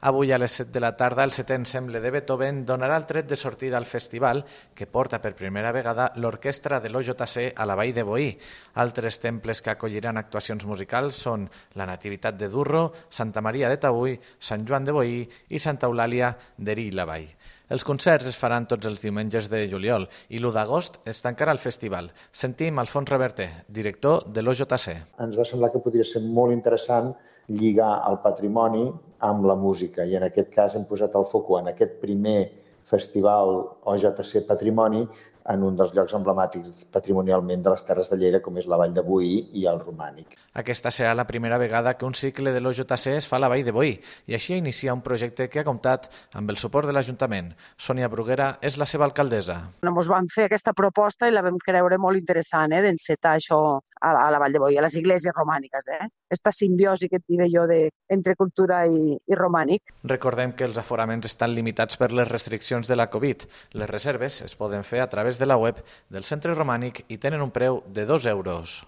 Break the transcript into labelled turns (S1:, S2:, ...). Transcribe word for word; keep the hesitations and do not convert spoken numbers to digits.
S1: Avui a les set de la tarda el setè ensemble de Beethoven donarà el tret de sortida al festival que porta per primera vegada l'orquestra de l'O J C a la Vall de Boí. Altres temples que acolliran actuacions musicals són la Nativitat de Durro, Santa Maria de Taüll, Sant Joan de Boí i Santa Eulàlia d'Erill-la-Vall. Els concerts es faran tots els diumenges de juliol i l'u d'agost es tancarà el festival. Sentim Alfons Reverter, director de l'O J C.
S2: Ens va semblar que podria ser molt interessant lligar el patrimoni amb la música i en aquest cas hem posat el foc en aquest primer festival O J C Patrimoni en un dels llocs emblemàtics patrimonialment de les Terres de Lleida, com és la Vall de Boí i el Romànic.
S1: Aquesta serà la primera vegada que un cicle de l'O J C es fa a la Vall de Boí i així inicia un projecte que ha comptat amb el suport de l'Ajuntament. Sònia Bruguera és la seva alcaldessa.
S3: Ens van fer aquesta proposta i la vam creure molt interessant, eh, d'encetar això a la, a la Vall de Boí, a les iglésies romàniques. Eh? Esta simbiosi que et diré jo de, entre cultura i, i romànic.
S1: Recordem que els aforaments estan limitats per les restriccions de la Covid. Les reserves es poden fer a través de la web del Centre Romànic i tenen un preu de dos euros.